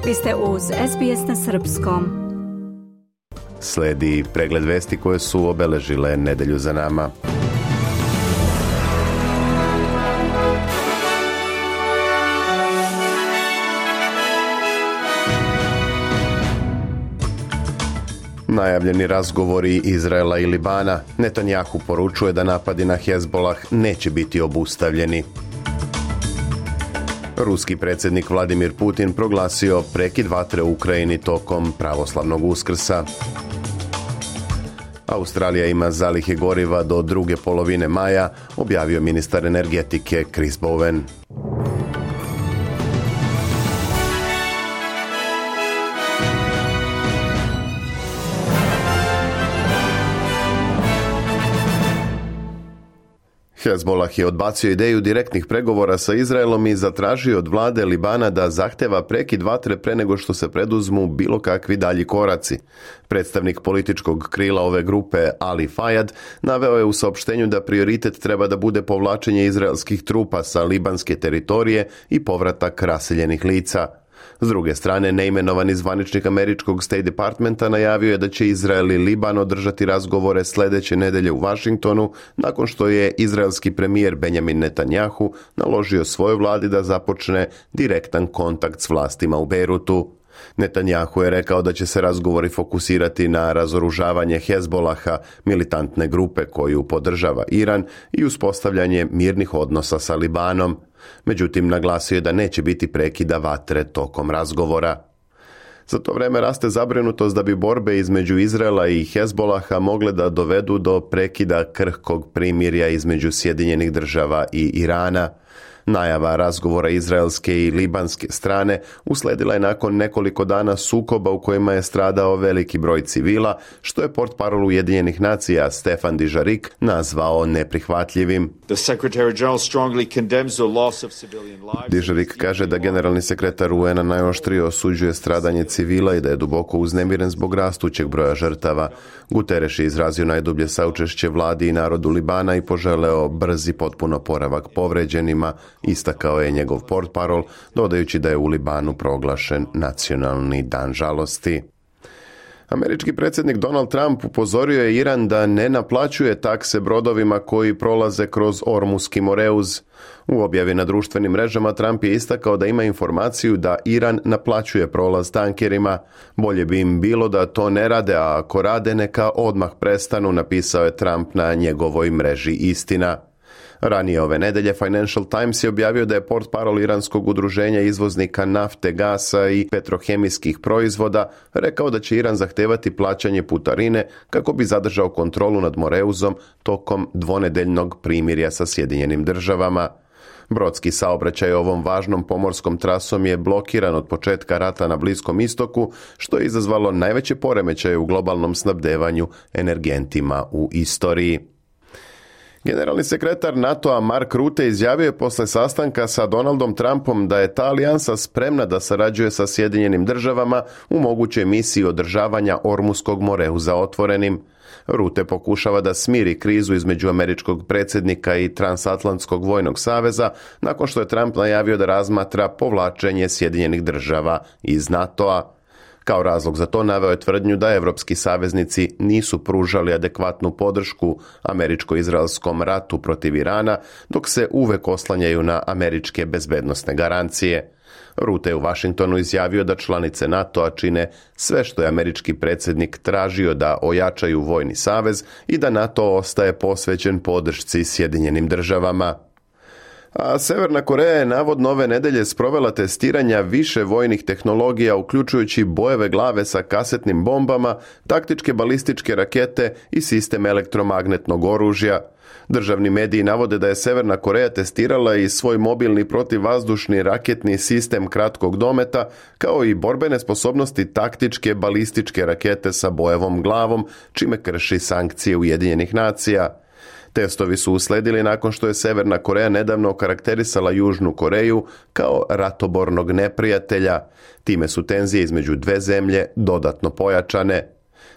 Vi ste uz SBS na srpskom. Sledi pregled vesti koje su obeležile nedelju za nama. Najavljeni razgovori Izraela i Libana. Netanjahu poručuje da napadi na Hezbolah neće biti obustavljeni. Ruski predsjednik Vladimir Putin proglasio prekid vatre u Ukrajini tokom pravoslavnog Uskrsa. Australija ima zalihe goriva do druge polovine maja, objavio ministar energetike Chris Bowen. Hezbolah je odbacio ideju direktnih pregovora sa Izraelom i zatražio od vlade Libana da zahteva prekid vatre pre nego što se preduzmu bilo kakvi dalji koraci. Predstavnik političkog krila ove grupe Ali Fayad naveo je u saopštenju da prioritet treba da bude povlačenje izraelskih trupa sa libanske teritorije i povratak raseljenih lica. S druge strane, neimenovani zvaničnik američkog State Departmenta najavio je da će Izrael i Liban održati razgovore sljedeće nedelje u Washingtonu, nakon što je izraelski premijer Benjamin Netanjahu naložio svojoj vladi da započne direktan kontakt s vlastima u Beirutu. Netanjahu je rekao da će se razgovori fokusirati na razoružavanje Hezbolaha, militantne grupe koju podržava Iran, i uspostavljanje mirnih odnosa sa Libanom. Međutim, naglasio je da neće biti prekida vatre tokom razgovora. Za to vreme raste zabrinutost da bi borbe između Izraela i Hezbolaha mogle da dovedu do prekida krhkog primirja između Sjedinjenih Država i Irana. Najava razgovora izraelske i libanske strane usledila je nakon nekoliko dana sukoba u kojima je stradao veliki broj civila, što je portparol Ujedinjenih nacija Stefan Dujarric nazvao neprihvatljivim. Dujarric kaže da generalni sekretar UN-a najoštrije osuđuje stradanje civila i da je duboko uznemiren zbog rastućeg broja žrtava. Guterres je izrazio najdublje saučešće vladi i narodu Libana i poželeo brzi potpun oporavak povređenima, istakao je njegov portparol, dodajući da je u Libanu proglašen nacionalni dan žalosti. Američki predsjednik Donald Trump upozorio je Iran da ne naplaćuje takse brodovima koji prolaze kroz Ormuski moreuz. U objavi na društvenim mrežama Trump je istakao da ima informaciju da Iran naplaćuje prolaz tankerima. Bolje bi im bilo da to ne rade, a ako rade neka odmah prestanu, napisao je Trump na njegovoj mreži Istina. Ranije ove nedelje Financial Times je objavio da je portparol iranskog udruženja izvoznika nafte, gasa i petrohemijskih proizvoda rekao da će Iran zahtevati plaćanje putarine kako bi zadržao kontrolu nad Moreuzom tokom dvonedeljnog primirja sa Sjedinjenim Državama. Brodski saobraćaj ovom važnom pomorskom trasom je blokiran od početka rata na Bliskom istoku, što je izazvalo najveće poremećaje u globalnom snabdevanju energentima u istoriji. Generalni sekretar NATO-a Mark Rutte izjavio je posle sastanka sa Donaldom Trumpom da je ta alijansa spremna da sarađuje sa Sjedinjenim Državama u mogućoj misiji održavanja Ormuskog moreuza otvorenim. Rutte pokušava da smiri krizu između američkog predsjednika i Transatlantskog vojnog saveza nakon što je Trump najavio da razmatra povlačenje Sjedinjenih Država iz NATO-a. Kao razlog za to naveo je tvrdnju da evropski saveznici nisu pružali adekvatnu podršku američko-izraelskom ratu protiv Irana, dok se uvek oslanjaju na američke bezbednosne garancije. Rutte je u Washingtonu izjavio da članice NATO-a čine sve što je američki predsjednik tražio da ojačaju vojni savez i da NATO ostaje posvećen podršci Sjedinjenim Državama. A Severna Koreja je navodno ove nedelje sprovela testiranja više vojnih tehnologija, uključujući bojeve glave sa kasetnim bombama, taktičke balističke rakete i sistem elektromagnetnog oružja. Državni mediji navode da je Severna Koreja testirala i svoj mobilni protivvazdušni raketni sistem kratkog dometa, kao i borbene sposobnosti taktičke balističke rakete sa bojevom glavom, čime krši sankcije Ujedinjenih nacija. Testovi su usledili nakon što je Severna Koreja nedavno okarakterisala Južnu Koreju kao ratobornog neprijatelja. Time su tenzije između dve zemlje dodatno pojačane.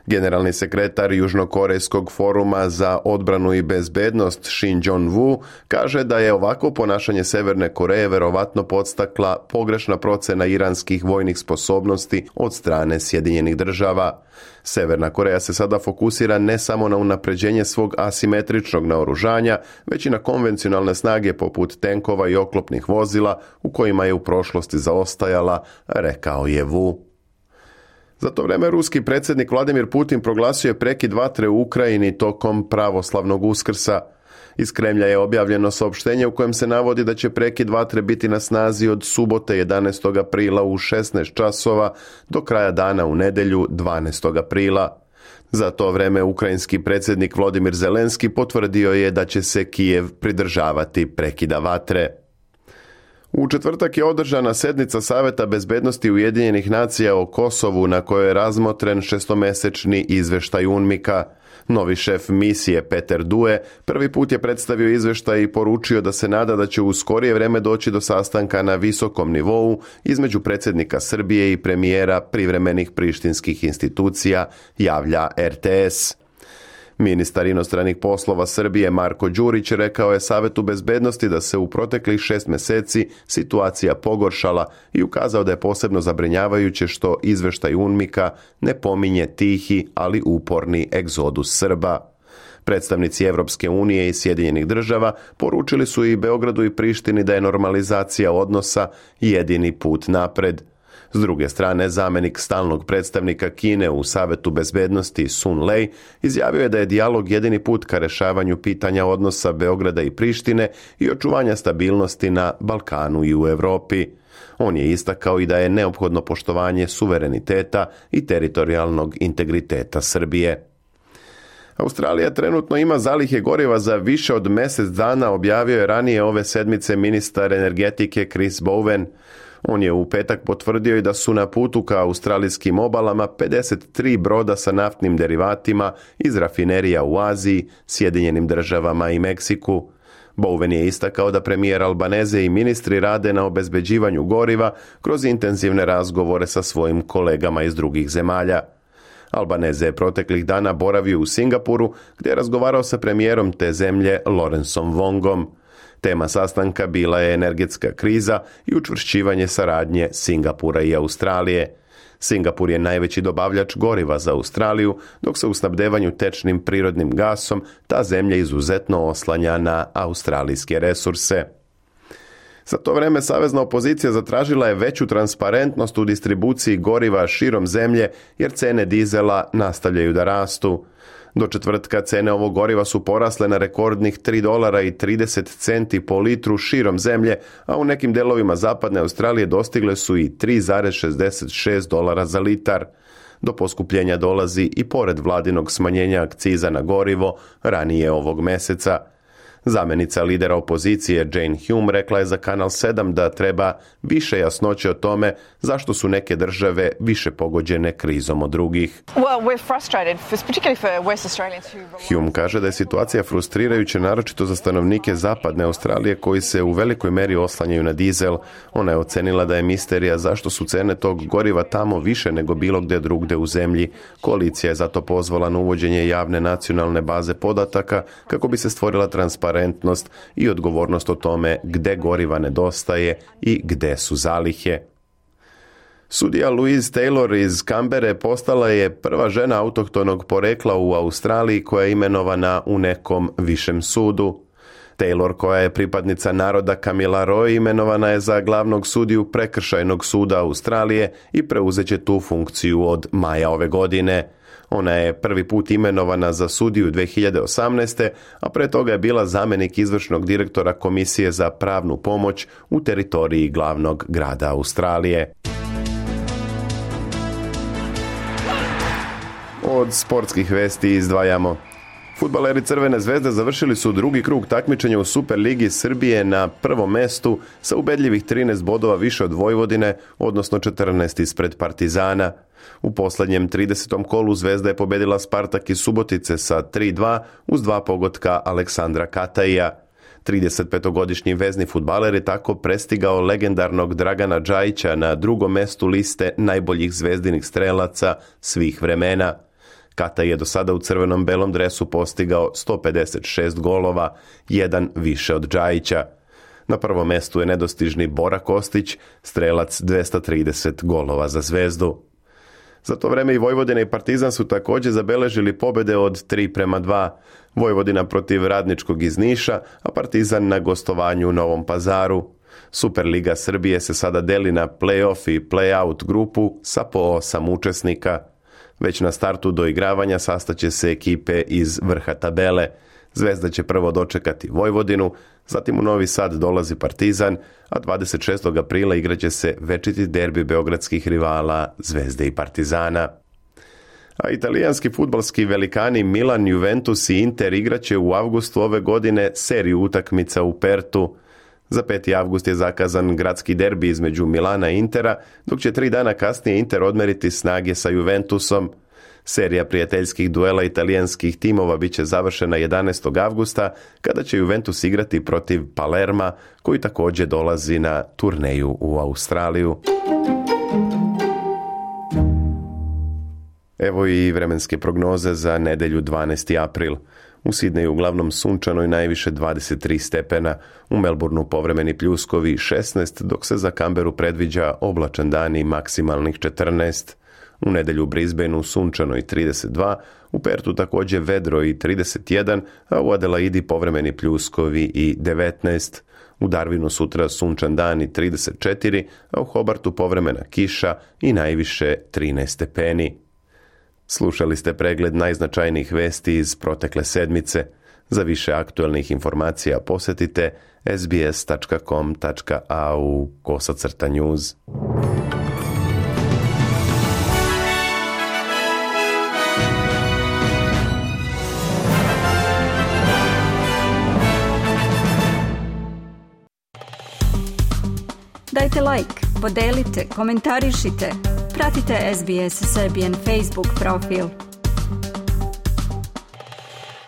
Generalni sekretar Južnokorejskog foruma za odbranu i bezbednost Shin Jong-woo kaže da je ovako ponašanje Severne Koreje verovatno podstakla pogrešna procena iranskih vojnih sposobnosti od strane Sjedinjenih država. Severna Koreja se sada fokusira ne samo na unapređenje svog asimetričnog naoružanja, već i na konvencionalne snage poput tenkova i oklopnih vozila u kojima je u prošlosti zaostajala, rekao je Wu. Za to vreme ruski predsjednik Vladimir Putin proglasio je prekid vatre u Ukrajini tokom pravoslavnog Uskrsa. Iz Kremlja je objavljeno saopštenje u kojem se navodi da će prekid vatre biti na snazi od subote 11. aprila u 16 časova do kraja dana u nedjelju 12. aprila. Za to vreme ukrajinski predsjednik Volodymyr Zelenski potvrdio je da će se Kijev pridržavati prekida vatre. U četvrtak je održana sednica Saveta bezbednosti Ujedinjenih nacija o Kosovu na kojoj je razmotren šestomesečni izvještaj UNMIK-a. Novi šef misije Peter Due prvi put je predstavio izvještaj i poručio da se nada da će u skorije vrijeme doći do sastanka na visokom nivou između predsjednika Srbije i premijera privremenih prištinskih institucija, javlja RTS. Ministar inostranih poslova Srbije Marko Đurić rekao je Savetu bezbednosti da se u proteklih 6 mjeseci situacija pogoršala i ukazao da je posebno zabrinjavajuće što izvještaj UNMIK-a ne pominje tihi, ali uporni egzodus Srba. Predstavnici Europske unije i Sjedinjenih država poručili su i Beogradu i Prištini da je normalizacija odnosa jedini put napred. S druge strane, zamjenik stalnog predstavnika Kine u Savetu bezbednosti Sun Lei izjavio je da je dijalog jedini put ka rješavanju pitanja odnosa Beograda i Prištine i očuvanja stabilnosti na Balkanu i u Europi. On je istakao i da je neophodno poštovanje suvereniteta i teritorijalnog integriteta Srbije. Australija trenutno ima zalihe goriva za više od mjesec dana, objavio je ranije ove sedmice ministar energetike Chris Bowen. On je u petak potvrdio i da su na putu ka australijskim obalama 53 broda sa naftnim derivatima iz rafinerija u Aziji, Sjedinjenim državama i Meksiku. Bowen je istakao da premijer Albanese i ministri rade na obezbeđivanju goriva kroz intenzivne razgovore sa svojim kolegama iz drugih zemalja. Albanese je proteklih dana boravio u Singapuru gdje je razgovarao sa premijerom te zemlje Lawrenceom Wongom. Tema sastanka bila je energetska kriza i učvršćivanje saradnje Singapura i Australije. Singapur je najveći dobavljač goriva za Australiju, dok se u snabdevanju tečnim prirodnim gasom ta zemlja izuzetno oslanja na australijske resurse. Za to vreme savezna opozicija zatražila je veću transparentnost u distribuciji goriva širom zemlje jer cene dizela nastavljaju da rastu. Do četvrtka cene ovog goriva su porasle na rekordnih $3.30 po litru širom zemlje, a u nekim delovima zapadne Australije dostigle su i $3.66 za litar. Do poskupljenja dolazi i pored vladinog smanjenja akciza na gorivo ranije ovog mjeseca. Zamjenica lidera opozicije Jane Hume rekla je za Kanal 7 da treba više jasnoće o tome zašto su neke države više pogođene krizom od drugih. Hume kaže da je situacija frustrirajuća naročito za stanovnike zapadne Australije koji se u velikoj meri oslanjaju na dizel. Ona je ocenila da je misterija zašto su cene tog goriva tamo više nego bilo gdje drugdje u zemlji. Koalicija je zato pozvala na uvođenje javne nacionalne baze podataka kako bi se stvorila transparentnost i odgovornost o tome gdje goriva nedostaje i gdje su zalihe. Sudija Louise Taylor iz Kambere postala je prva žena autohtonog porekla u Australiji koja je imenovana u nekom višem sudu. Taylor, koja je pripadnica naroda Kamilaroi, imenovana je za glavnog sudiju prekršajnog suda Australije i preuzeće tu funkciju od maja ove godine. Ona je prvi put imenovana za sudiju 2018. a pre toga je bila zamjenik izvršnog direktora Komisije za pravnu pomoć u teritoriji glavnog grada Australije. Od sportskih vesti izdvajamo. Fudbaleri Crvene zvezde završili su drugi krug takmičenja u Superligi Srbije na prvom mestu sa ubedljivih 13 bodova više od Vojvodine, odnosno 14 ispred Partizana. U posljednjem 30. kolu Zvezda je pobedila Spartak iz Subotice sa 3-2 uz 2 pogotka Aleksandra Kataija. 35-godišnji vezni fudbaler je tako prestigao legendarnog Dragana Džajića na drugom mestu liste najboljih zvezdinih strelaca svih vremena. Kata je do sada u crvenom-belom dresu postigao 156 golova, jedan više od Džajića. Na prvom mestu je nedostižni Bora Kostić, strelac 230 golova za Zvezdu. Za to vreme i Vojvodina i Partizan su također zabeležili pobjede od 3:2. Vojvodina protiv Radničkog iz Niša, a Partizan na gostovanju u Novom Pazaru. Superliga Srbije se sada deli na play-off i play-out grupu sa po 8 učesnika. Već na startu doigravanja sastaće se ekipe iz vrha tabele. Zvezda će prvo dočekati Vojvodinu, zatim u Novi Sad dolazi Partizan, a 26. aprila igraće se večiti derbi beogradskih rivala Zvezde i Partizana. A italijanski fudbalski velikani Milan, Juventus i Inter igraće u avgustu ove godine seriju utakmica u Pertu. Za 5. avgust je zakazan gradski derbi između Milana i Intera, dok će 3 dana kasnije Inter odmeriti snage sa Juventusom. Serija prijateljskih duela italijanskih timova bit će završena 11. avgusta, kada će Juventus igrati protiv Palerma, koji također dolazi na turneju u Australiju. Evo i vremenske prognoze za nedjelju 12. april. U Sidneju uglavnom sunčano i najviše 23 stepena, u Melbourneu povremeni pljuskovi 16, dok se za Canberu predviđa oblačan dan i maksimalnih 14. U nedjelju u Brisbaneu sunčano i 32, u Pertu također vedro i 31, a u Adelaidi povremeni pljuskovi i 19. U Darwinu sutra sunčan dan i 34, a u Hobartu povremena kiša i najviše 13 stepeni. Slušali ste pregled najznačajnijih vesti iz protekle sedmice. Za više aktualnih informacija posjetite sbs.com.au/news. Dajte like, podelite, komentarišite. Pratite SBS Serbian Facebook profil.